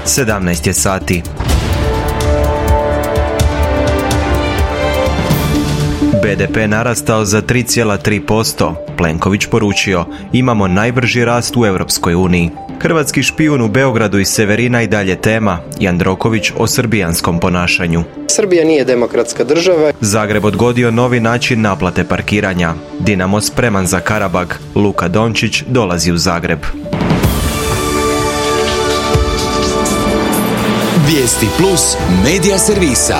17 je sati. BDP narastao za 3,3%. Plenković poručio, imamo najbrži rast u Europskoj uniji. Hrvatski špijun u Beogradu i Severina i dalje tema. Jandroković o srbijanskom ponašanju. Srbija nije demokratska država. Zagreb odgodio novi način naplate parkiranja. Dinamo spreman za Karabag. Luka Dončić dolazi u Zagreb. Vijesti plus medija servisa.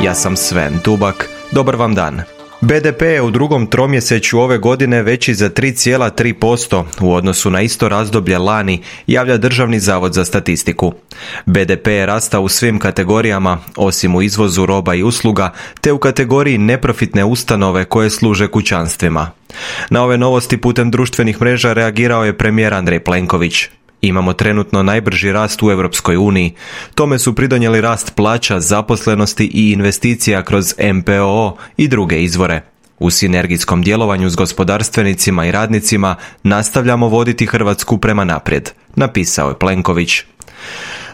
Ja sam Sven Tubak. Dobar vam dan. BDP je u drugom tromjesečju ove godine veći za 3,3% u odnosu na isto razdoblje lani, javlja Državni zavod za statistiku. BDP je rastao u svim kategorijama, osim u izvozu roba i usluga, te u kategoriji neprofitne ustanove koje služe kućanstvima. Na ove novosti putem društvenih mreža reagirao je premijer Andrej Plenković. Imamo trenutno najbrži rast u Europskoj uniji. Tome su pridonijeli rast plaća, zaposlenosti i investicija kroz MPO i druge izvore. U sinergijskom djelovanju s gospodarstvenicima i radnicima nastavljamo voditi Hrvatsku prema naprijed, napisao je Plenković.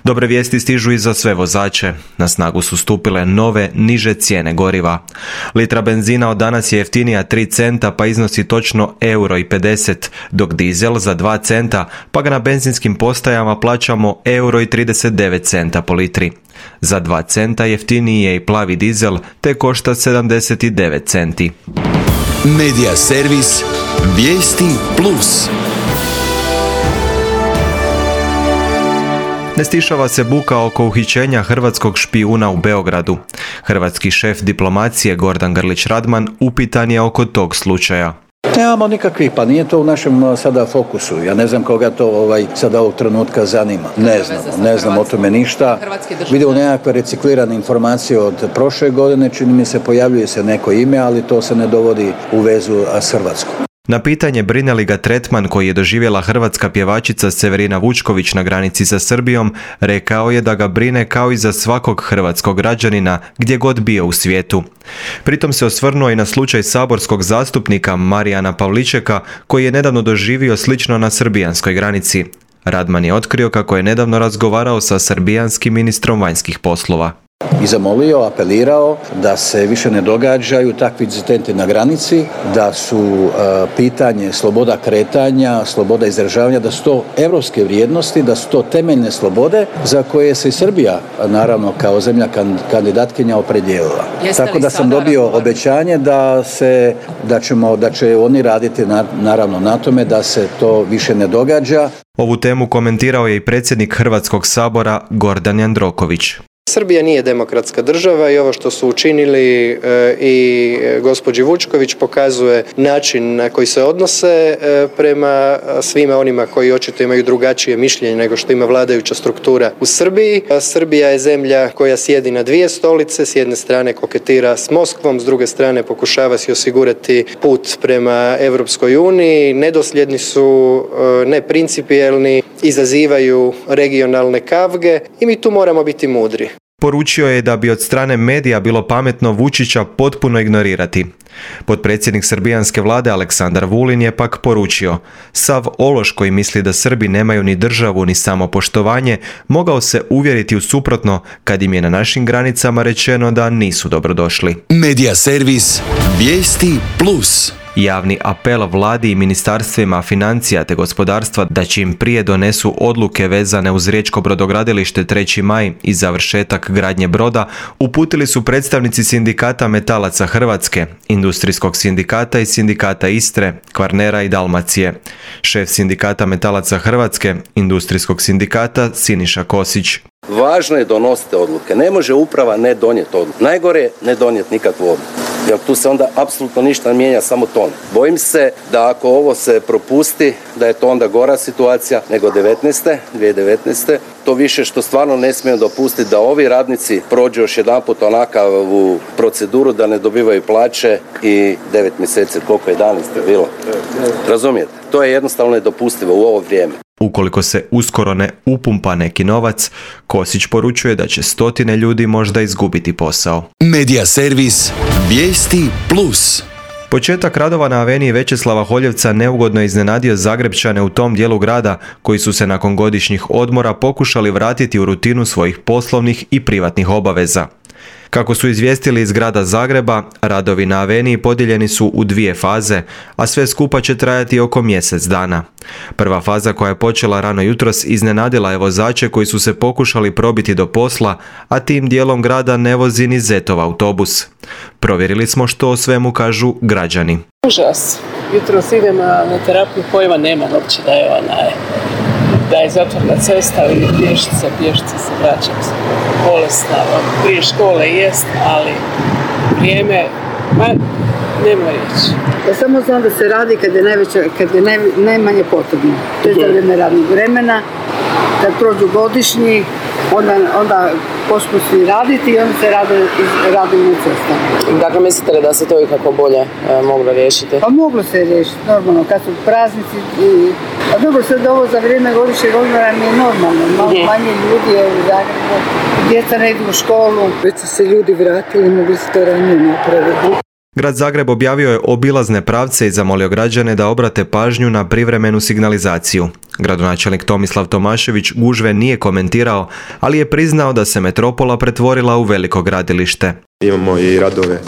Dobre vijesti stižu i za sve vozače. Na snagu su stupile nove, niže cijene goriva. Litra benzina od danas je jeftinija 3 centa pa iznosi točno €1,50, dok dizel za 2 centa pa ga na benzinskim postajama plaćamo €1,39 po litri. Za 2 centa jeftiniji je i plavi dizel te košta 79 centi. Medija servis Vijesti plus. Ne stišava se buka oko uhićenja hrvatskog špijuna u Beogradu. Hrvatski šef diplomacije Gordan Grlić Radman upitan je oko tog slučaja. Nemamo nikakvih, pa nije to u našem sada fokusu. Ja ne znam koga to sada ovog trenutka zanima. Ne znam o tome ništa. Vidimo nekakve reciklirane informacije od prošle godine, čini mi se pojavljuje se neko ime, ali to se ne dovodi u vezu s Hrvatskom. Na pitanje brine li ga tretman koji je doživjela hrvatska pjevačica Severina Vučković na granici sa Srbijom, rekao je da ga brine kao i za svakog hrvatskog građanina gdje god bio u svijetu. Pritom se osvrnuo i na slučaj saborskog zastupnika Marijana Pavličeka koji je nedavno doživio slično na srbijanskoj granici. Radman je otkrio kako je nedavno razgovarao sa srbijanskim ministrom vanjskih poslova. I zamolio, apelirao da se više ne događaju takvi incidenti na granici, da su pitanje sloboda kretanja, sloboda izražavanja, da su to europske vrijednosti, da su to temeljne slobode za koje se i Srbija, naravno kao zemlja kandidatkinja, opredijelila. Tako da sam dobio obećanje da će oni raditi naravno na tome da se to više ne događa. Ovu temu komentirao je i predsjednik Hrvatskog sabora Gordan Jandroković. Srbija nije demokratska država i ovo što su učinili i gospođi Vučković pokazuje način na koji se odnose prema svima onima koji očito imaju drugačije mišljenje nego što ima vladajuća struktura u Srbiji. Srbija je zemlja koja sjedi na dvije stolice, s jedne strane koketira s Moskvom, s druge strane pokušava si osigurati put prema Europskoj uniji, nedosljedni su, neprincipijelni, izazivaju regionalne kavge i mi tu moramo biti mudri. Poručio je da bi od strane medija bilo pametno Vučića potpuno ignorirati. Potpredsjednik srbijanske vlade Aleksandar Vulin je pak poručio: sav ološ koji misli da Srbi nemaju ni državu ni samopoštovanje mogao se uvjeriti u suprotno kad im je na našim granicama rečeno da nisu dobrodošli. Medija servis Vijesti plus. Javni apel vladi i ministarstvima financija te gospodarstva da čim prije donesu odluke vezane uz riječko brodogradilište 3. maj i završetak gradnje broda uputili su predstavnici sindikata metalaca Hrvatske, industrijskog sindikata i sindikata Istre, Kvarnera i Dalmacije. Šef sindikata metalaca Hrvatske, industrijskog sindikata Siniša Kosić. Važno je donositi odluke. Ne može uprava ne donijeti odluku. Najgore je ne donijeti nikakvu odluku. Jer tu se onda apsolutno ništa ne mijenja, samo ton. Bojim se da ako ovo se propusti, da je to onda gora situacija nego 2019. To više što stvarno ne smijemo dopustiti da ovi radnici prođu još jedanput onakavu proceduru da ne dobivaju plaće i 9 mjeseci, koliko je danas bilo. Razumijete? To je jednostavno nedopustivo u ovo vrijeme. Ukoliko se uskoro ne upumpa neki novac, Kosić poručuje da će stotine ljudi možda izgubiti posao. Medija servis Vijesti plus. Početak radova na aveniji Većeslava Holjevca neugodno je iznenadio Zagrepčane u tom dijelu grada koji su se nakon godišnjih odmora pokušali vratiti u rutinu svojih poslovnih i privatnih obaveza. Kako su izvijestili iz grada Zagreba, radovi na aveniji podijeljeni su u 2 faze, a sve skupa će trajati oko mjesec dana. Prva faza, koja je počela rano jutros, iznenadila je vozače koji su se pokušali probiti do posla, a tim dijelom grada ne vozi ni Zetov autobus. Provjerili smo što o svemu kažu građani. Užas. Jutros idem na terapiju, pojma nema uopće da je zatvorena cesta ili pješice se vraćam se bolesna, prije škole jest, ali vrijeme, nema riječi. Ja samo znam da se radi kad je najmanje potrebno. To je za vrijeme radnog vremena, kad prođu godišnji, onda počnu svi raditi i onda se radi na cestama. Dakle, mislite li da se to ikako bolje moglo riješiti? Pa moglo se riješiti, normalno, kad su praznici a dobro, sad ovo za vrijeme godišnjeg odmora mi je normalno, malo manje ljudi je u Zagrebu, djeca ne idu u školu. Već su se ljudi vratili, mogli su to ranije napraviti. Grad Zagreb objavio je obilazne pravce i zamolio građane da obrate pažnju na privremenu signalizaciju. Gradonačelnik Tomislav Tomašević gužve nije komentirao, ali je priznao da se metropola pretvorila u veliko gradilište. Imamo i radove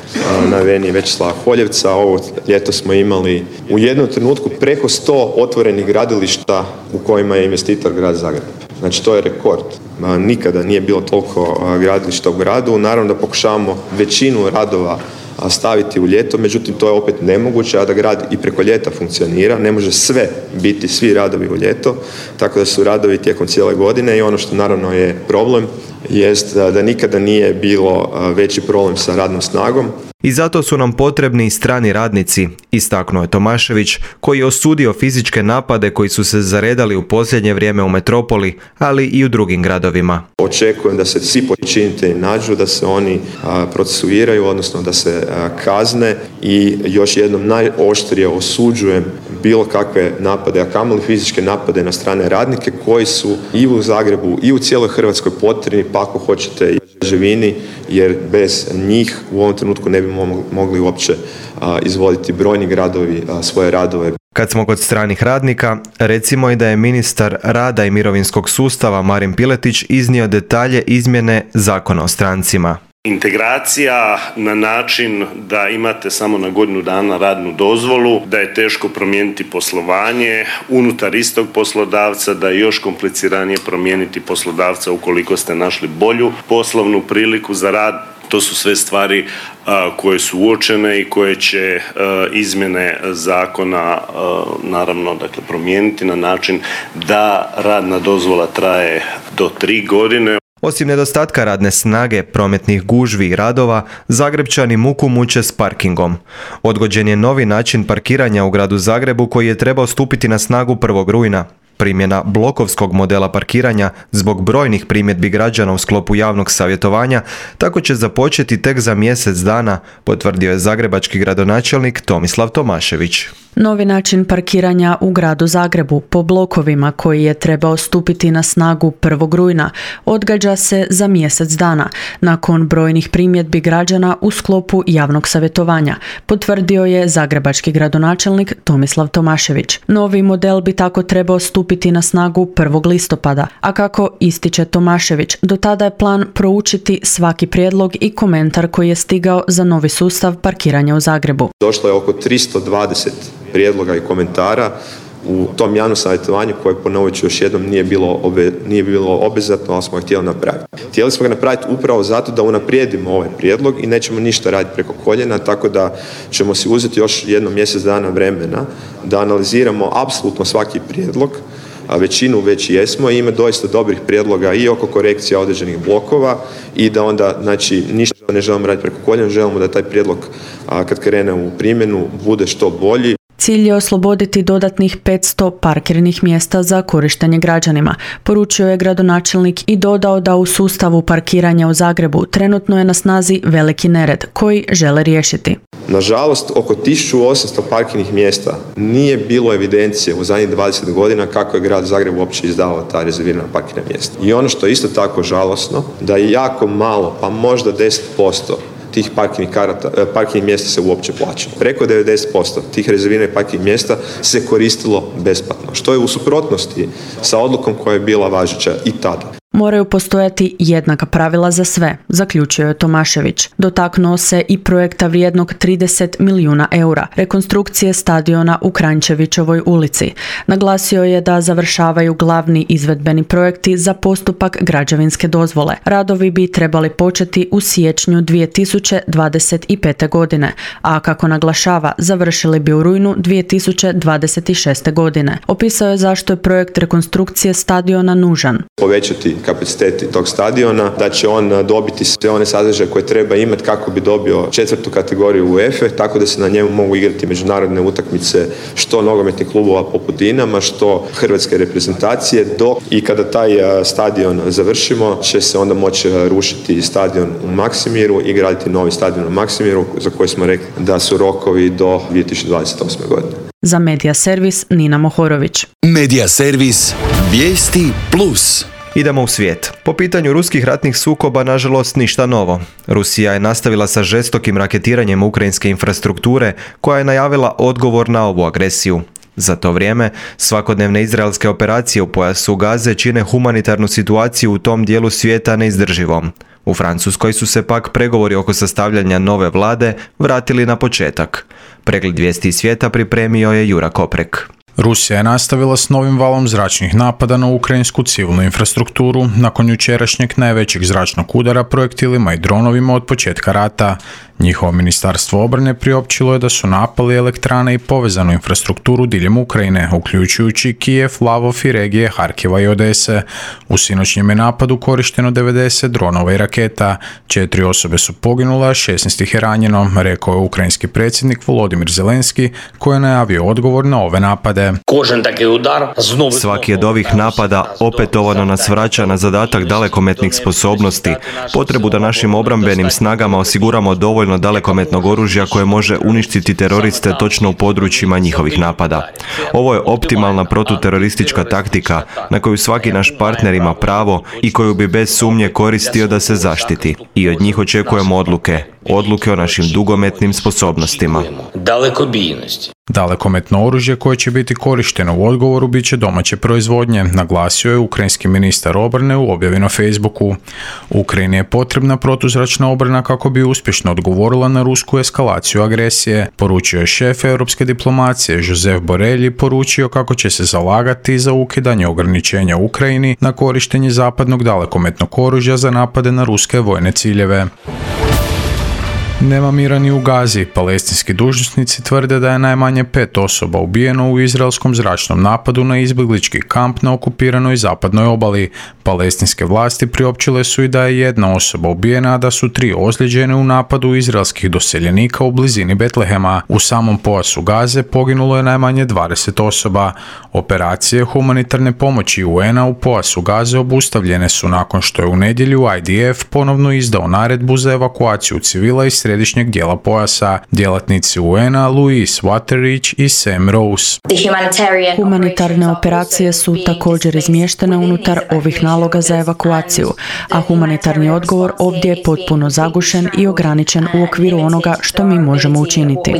na aveniji Većeslava Holjevca. Ovo ljeto smo imali u jednom trenutku preko 100 otvorenih gradilišta u kojima je investitor grad Zagreb. Znači to je rekord. Nikada nije bilo toliko gradilišta u gradu. Naravno da pokušavamo većinu radova staviti u ljeto, međutim to je opet nemoguće, a da grad i preko ljeta funkcionira, ne može biti svi radovi u ljeto, tako da su radovi tijekom cijele godine i ono što naravno je problem jest da nikada nije bilo veći problem sa radnom snagom. I zato su nam potrebni strani radnici, istaknuo je Tomašević, koji je osudio fizičke napade koji su se zaredali u posljednje vrijeme u metropoli, ali i u drugim gradovima. Očekujem da se svi počinitelji nađu, da se oni procesuiraju, odnosno da se kazne i još jednom najoštrije osuđujem bilo kakve napade, a kamoli fizičke napade na strane radnike koji su i u Zagrebu i u cijeloj Hrvatskoj potrebni, pa ako hoćete i građevini, jer bez njih u ovom trenutku ne bi mogli uopće izvoditi brojni gradovi svoje radove. Kad smo kod stranih radnika, recimo i da je ministar rada i mirovinskog sustava Marin Piletić iznio detalje izmjene Zakona o strancima. Integracija na način da imate samo na godinu dana radnu dozvolu, da je teško promijeniti poslovanje unutar istog poslodavca, da je još kompliciranije promijeniti poslodavca ukoliko ste našli bolju poslovnu priliku za rad. To su sve stvari koje su uočene i koje će izmjene zakona naravno promijeniti na način da radna dozvola traje do 3 godine. Osim nedostatka radne snage, prometnih gužvi i radova, Zagrepčani muku muče s parkingom. Odgođen je novi način parkiranja u gradu Zagrebu koji je trebao stupiti na snagu 1. rujna. Primjena blokovskog modela parkiranja zbog brojnih primjedbi građana u sklopu javnog savjetovanja tako će započeti tek za mjesec dana, potvrdio je zagrebački gradonačelnik Tomislav Tomašević. Novi način parkiranja u gradu Zagrebu po blokovima koji je trebao stupiti na snagu 1. rujna odgađa se za mjesec dana nakon brojnih primjedbi građana u sklopu javnog savjetovanja, potvrdio je zagrebački gradonačelnik Tomislav Tomašević. Novi model bi tako trebao stupiti na snagu 1. listopada, a kako ističe Tomašević, do tada je plan proučiti svaki prijedlog i komentar koji je stigao za novi sustav parkiranja u Zagrebu. Došlo je oko 320 prijedloga i komentara u tom javnom savjetovanju koje, ponovit ću još jednom, nije bilo obvezatno, ali smo ga htjeli napraviti. Htjeli smo ga napraviti upravo zato da unaprijedimo ovaj prijedlog i nećemo ništa raditi preko koljena, tako da ćemo si uzeti još jedno mjesec dana vremena da analiziramo apsolutno svaki prijedlog, a većinu već jesmo i ima doista dobrih prijedloga i oko korekcija određenih blokova i da onda, ništa ne želimo raditi preko koljena, želimo da taj prijedlog kad krene u primjenu bude što bolji. Cilj je osloboditi dodatnih 500 parkirnih mjesta za korištenje građanima, poručio je gradonačelnik i dodao da u sustavu parkiranja u Zagrebu trenutno je na snazi veliki nered koji žele riješiti. Nažalost, oko 1800 parkirnih mjesta nije bilo evidencije u zadnjih 20 godina kako je grad Zagreb uopće izdavao ta rezervirana parkirna mjesta. I ono što je isto tako žalosno, da je jako malo, pa možda 10% tih parking mjesta se uopće plaćalo. Preko 90% tih rezerviranih parking mjesta se koristilo besplatno, što je u suprotnosti sa odlukom koja je bila važeća i tada. Moraju postojati jednaka pravila za sve, zaključio je Tomašević. Dotaknuo se i projekta vrijednog 30 milijuna eura, rekonstrukcije stadiona u Kranjčevićevoj ulici. Naglasio je da završavaju glavni izvedbeni projekti za postupak građevinske dozvole. Radovi bi trebali početi u siječnju 2025. godine, a kako naglašava, završili bi u rujnu 2026. godine. Opisao je zašto je projekt rekonstrukcije stadiona nužan. Povećati kapaciteti tog stadiona, da će on dobiti sve one sadržaje koje treba imati kako bi dobio 4. kategoriju UEFA, tako da se na njemu mogu igrati međunarodne utakmice što nogometnih klubova poput Dinama, što hrvatske reprezentacije, dok i kada taj stadion završimo će se onda moći rušiti stadion u Maksimiru i graditi novi stadion u Maksimiru za koji smo rekli da su rokovi do 2028. godine. Za Medija servis Nina Mohorović. Medija servis Vijesti Plus. Idemo u svijet. Po pitanju ruskih ratnih sukoba, nažalost, ništa novo. Rusija je nastavila sa žestokim raketiranjem ukrajinske infrastrukture, koja je najavila odgovor na ovu agresiju. Za to vrijeme, svakodnevne izraelske operacije u pojasu Gaze čine humanitarnu situaciju u tom dijelu svijeta neizdrživom. U Francuskoj su se pak pregovori oko sastavljanja nove vlade vratili na početak. Pregled vijesti iz svijeta pripremio je Jura Koprek. Rusija je nastavila s novim valom zračnih napada na ukrajinsku civilnu infrastrukturu nakon jučerašnjeg najvećeg zračnog udara projektilima i dronovima od početka rata. Njihovo ministarstvo obrane priopćilo je da su napali elektrane i povezanu infrastrukturu diljem Ukrajine, uključujući Kijev, Lavov i regije Harkiva i Odese. U sinoćnjem je napadu korišteno 90 dronova i raketa. 4 osobe su poginule, a 16 ih je ranjeno, rekao je ukrajinski predsjednik Volodimir Zelenski, koji je najavio odgovor na ove napade. Svaki od ovih napada opetovano nas vraća na zadatak dalekometnih sposobnosti, potrebu da našim obrambenim snagama osiguramo dovoljno dalekometnog oružja koje može uništiti teroriste točno u područjima njihovih napada. Ovo je optimalna protuteroristička taktika na koju svaki naš partner ima pravo i koju bi bez sumnje koristio da se zaštiti. I od njih očekujemo odluke o našim dugometnim sposobnostima. Dalekometno oružje koje će biti korišteno u odgovoru bit će domaće proizvodnje, naglasio je ukrajinski ministar obrane u objavi na Facebooku. Ukrajini je potrebna protuzračna obrana kako bi uspješno odgovorila na rusku eskalaciju agresije, poručio je šef europske diplomacije Josep Borrell i poručio kako će se zalagati za ukidanje ograničenja Ukrajini na korištenje zapadnog dalekometnog oružja za napade na ruske vojne ciljeve. Nema mira ni u Gazi. Palestinski dužnosnici tvrde da je najmanje 5 osoba ubijeno u izraelskom zračnom napadu na izbjeglički kamp na okupiranoj zapadnoj obali. Palestinske vlasti priopćile su i da je 1 osoba ubijena, a da su 3 ozlijeđene u napadu izraelskih doseljenika u blizini Betlehema. U samom pojasu Gaze poginulo je najmanje 20 osoba. Operacije humanitarne pomoći UN-a u pojasu Gaze obustavljene su nakon što je u nedjelju IDF ponovno izdao naredbu za evakuaciju civila iz središnjeg dijela pojasa. Djelatnici UN-a Louise Waterridge i Sam Rose. Humanitarne operacije su također izmještene unutar ovih naloga za evakuaciju, a humanitarni odgovor ovdje je potpuno zagušen i ograničen u okviru onoga što mi možemo učiniti.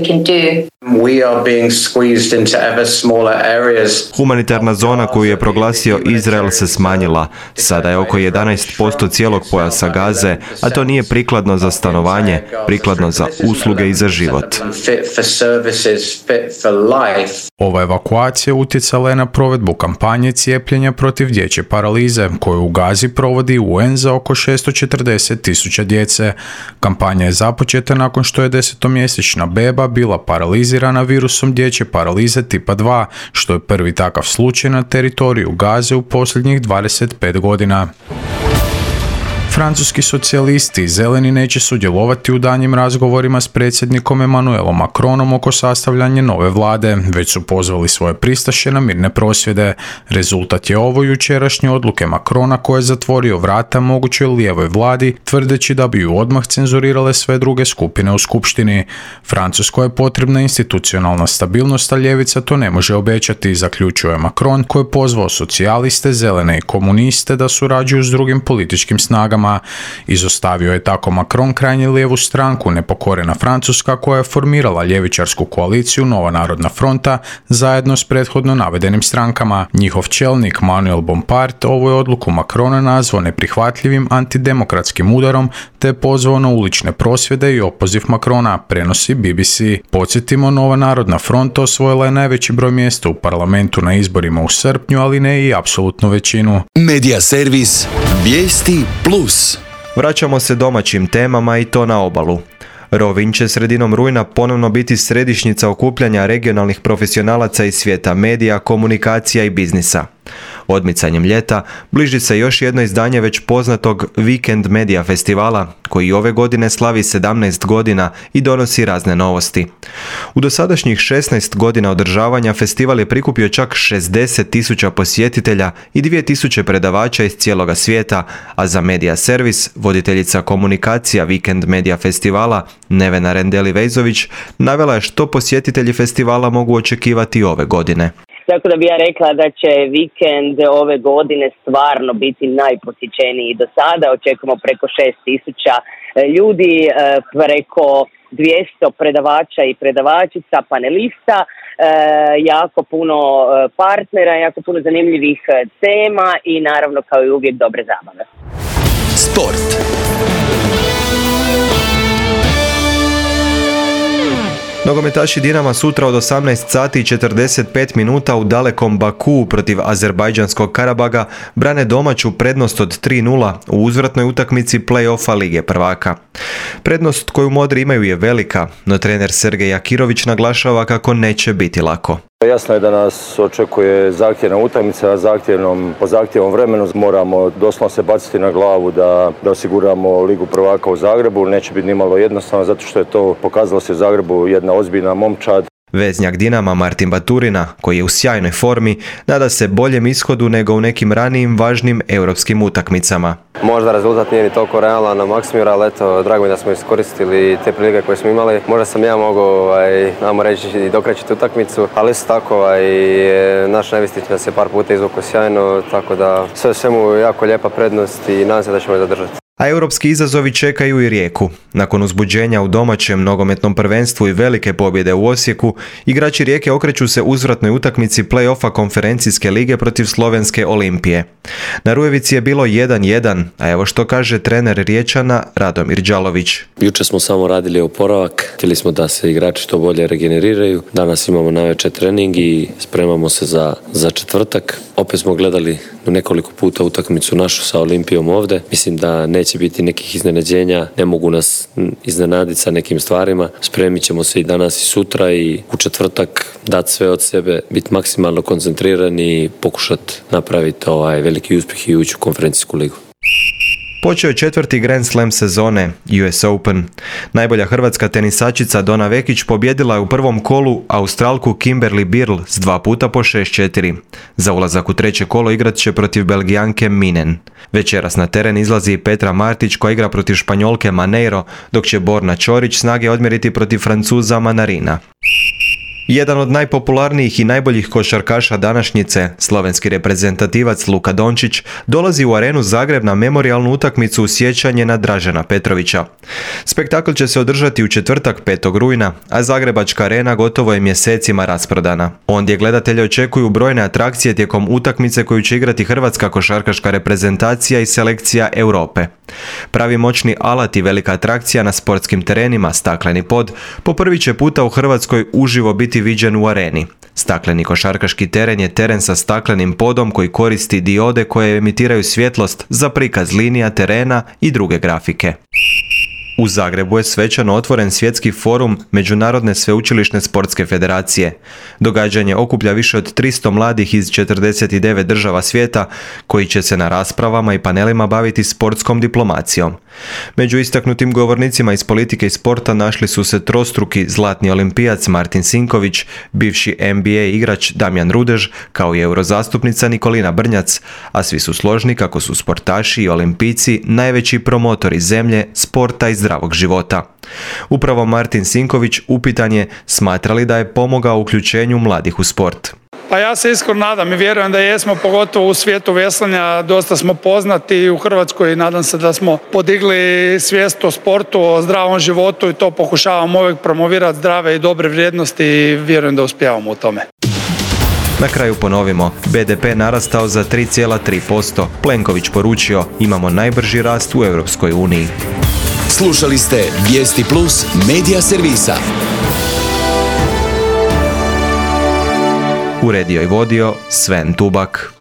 Humanitarna zona koju je proglasio Izrael se smanjila. Sada je oko 11% cijelog pojasa Gaze, a to nije prikladno za stanovanje, prikladno za usluge i za život. Ova evakuacija utjecala je na provedbu kampanje cijepljenja protiv dječje paralize, koju u Gazi provodi UN za oko 640.000 djece. Kampanja je započeta nakon što je 10-mjesečna beba bila paralizirana virusom dječje paralize tipa 2, što je prvi takav slučaj na teritoriju Gaze u posljednjih 25 godina. Francuski socijalisti i zeleni neće sudjelovati u daljnjim razgovorima s predsjednikom Emmanuelom Macronom oko sastavljanja nove vlade, već su pozvali svoje pristaše na mirne prosvjede. Rezultat je ovo jučerašnje odluke Macrona koje je zatvorio vrata mogućoj lijevoj vladi, tvrdeći da bi ju odmah cenzurirale sve druge skupine u skupštini. Francuskoj je potrebna institucionalna stabilnost, a ljevica to ne može obećati, zaključuje Macron, koji je pozvao socijaliste, zelene i komuniste da surađuju s drugim političkim snagama. strankama. Izostavio je tako Macron krajnje lijevu stranku, nepokorena Francuska koja je formirala ljevičarsku koaliciju Nova narodna fronta zajedno s prethodno navedenim strankama. Njihov čelnik Manuel Bompard ovu je odluku Macrona nazvao neprihvatljivim antidemokratskim udarom te je pozvao na ulične prosvjede i opoziv Macrona, prenosi BBC. Podsjetimo, Nova narodna fronta osvojila je najveći broj mjesta u parlamentu na izborima u srpnju, ali ne i apsolutnu većinu. Medija servis Vijesti Plus. Vraćamo se domaćim temama i to na obalu. Rovinj će sredinom rujna ponovno biti središnjica okupljanja regionalnih profesionalaca iz svijeta medija, komunikacija i biznisa. Odmicanjem ljeta bliži se još jedno izdanje već poznatog Weekend Media festivala, koji ove godine slavi 17 godina i donosi razne novosti. U dosadašnjih 16 godina održavanja festival je prikupio čak 60.000 posjetitelja i 2.000 predavača iz cijeloga svijeta, a za Medija servis, voditeljica komunikacija Weekend Media festivala Nevena Rendeli-Vejzović navela je što posjetitelji festivala mogu očekivati ove godine. Tako da bi ja rekla da će vikend ove godine stvarno biti najposjećeniji do sada. Očekujemo preko 6.000 ljudi, preko 200 predavača i predavačica, panelista, jako puno partnera, jako puno zanimljivih tema i naravno kao i uvijek dobre zabave. Sport. Nogometaši Dinama sutra od 18 sati i 45 minuta u dalekom Bakuu protiv azerbajdžanskog Karabaga brane domaću prednost od 3:0 u uzvratnoj utakmici play-offa Lige prvaka. Prednost koju modri imaju je velika, no trener Sergej Akirović naglašava kako neće biti lako. Jasno je da nas očekuje zahtjevna utakmica, po zahtjevnom vremenu moramo doslovno se baciti na glavu da osiguramo Ligu prvaka u Zagrebu. Neće biti nimalo jednostavno zato što je to pokazalo se u Zagrebu jedna ozbiljna momčad. Veznjak Dinama Martin Baturina, koji je u sjajnoj formi, nada se boljem ishodu nego u nekim ranijim važnim europskim utakmicama. Možda rezultat nije ni toliko realan na Maksimiru, ali eto, drago mi da smo iskoristili te prilike koje smo imali. Možda sam ja mogao, namo reći, i dokraćiti utakmicu, ali isto tako naš Nevistić nas je par puta izvukao sjajno, tako da sve u svemu jako lijepa prednost i nadam se da ćemo je zadržati. A europski izazovi čekaju i Rijeku. Nakon uzbuđenja u domaćem nogometnom prvenstvu i velike pobjede u Osijeku, igrači Rijeke okreću se uzvratnoj utakmici play-offa konferencijske lige protiv slovenske Olimpije. Na Rujevici je bilo 1:1, a evo što kaže trener Riječana Radomir Đalović. Jučer smo samo radili oporavak, htjeli smo da se igrači što bolje regeneriraju. Danas imamo navečer trening i spremamo se za četvrtak. Opet smo gledali nekoliko puta utakmicu našu sa Olimpijom ovdje. Mislim da neće biti nekih iznenađenja, ne mogu nas iznenaditi sa nekim stvarima. Spremit ćemo se i danas i sutra i u četvrtak dati sve od sebe, biti maksimalno koncentrirani i pokušati napraviti veliki uspjeh i ući u konferencijsku ligu. Počeo je 4. Grand Slam sezone, US Open. Najbolja hrvatska tenisačica Dona Vekić pobjedila je u prvom kolu Australku Kimberly Birl s 2 puta po 6-4. Za ulazak u treće kolo igrat će protiv Belgijanke Minen. Večeras na teren izlazi i Petra Martić koja igra protiv Španjolke Maneiro, dok će Borna Ćorić snage odmjeriti protiv Francuza Manarina. Jedan od najpopularnijih i najboljih košarkaša današnjice, slovenski reprezentativac Luka Dončić, dolazi u Arenu Zagreb na memorijalnu utakmicu u sjećanje na Dražena Petrovića. Spektakl će se održati u četvrtak 5. rujna, a Zagrebačka arena gotovo je mjesecima rasprodana. Ondje gledatelje očekuju brojne atrakcije tijekom utakmice koju će igrati hrvatska košarkaška reprezentacija i selekcija Europe. Pravi moćni alat i velika atrakcija na sportskim terenima, stakleni pod, po prvi će puta u Hrvatskoj uživo biti viđen u areni. Stakleni košarkaški teren je teren sa staklenim podom koji koristi diode koje emitiraju svjetlost za prikaz linija terena i druge grafike. U Zagrebu je svečano otvoren svjetski forum Međunarodne sveučilišne sportske federacije. Događanje okuplja više od 300 mladih iz 49 država svijeta koji će se na raspravama i panelima baviti sportskom diplomacijom. Među istaknutim govornicima iz politike i sporta našli su se trostruki zlatni olimpijac Martin Sinković, bivši NBA igrač Damjan Rudež, kao i eurozastupnica Nikolina Brnjac, a svi su složni kako su sportaši i olimpijci najveći promotori zemlje, sporta i zdravog života. Upravo Martin Sinković upitan je smatra li da je pomogao uključenju mladih u sport. Pa ja se iskreno nadam i vjerujem da jesmo, pogotovo u svijetu veslanja, dosta smo poznati u Hrvatskoj i nadam se da smo podigli svijest o sportu, o zdravom životu i to pokušavamo uvijek promovirati zdrave i dobre vrijednosti i vjerujem da uspijevamo u tome. Na kraju ponovimo, BDP narastao za 3,3%. Plenković poručio, imamo najbrži rast u Europskoj uniji. Slušali ste Vijesti Plus medija servisa. Uredio i vodio Sven Tubak.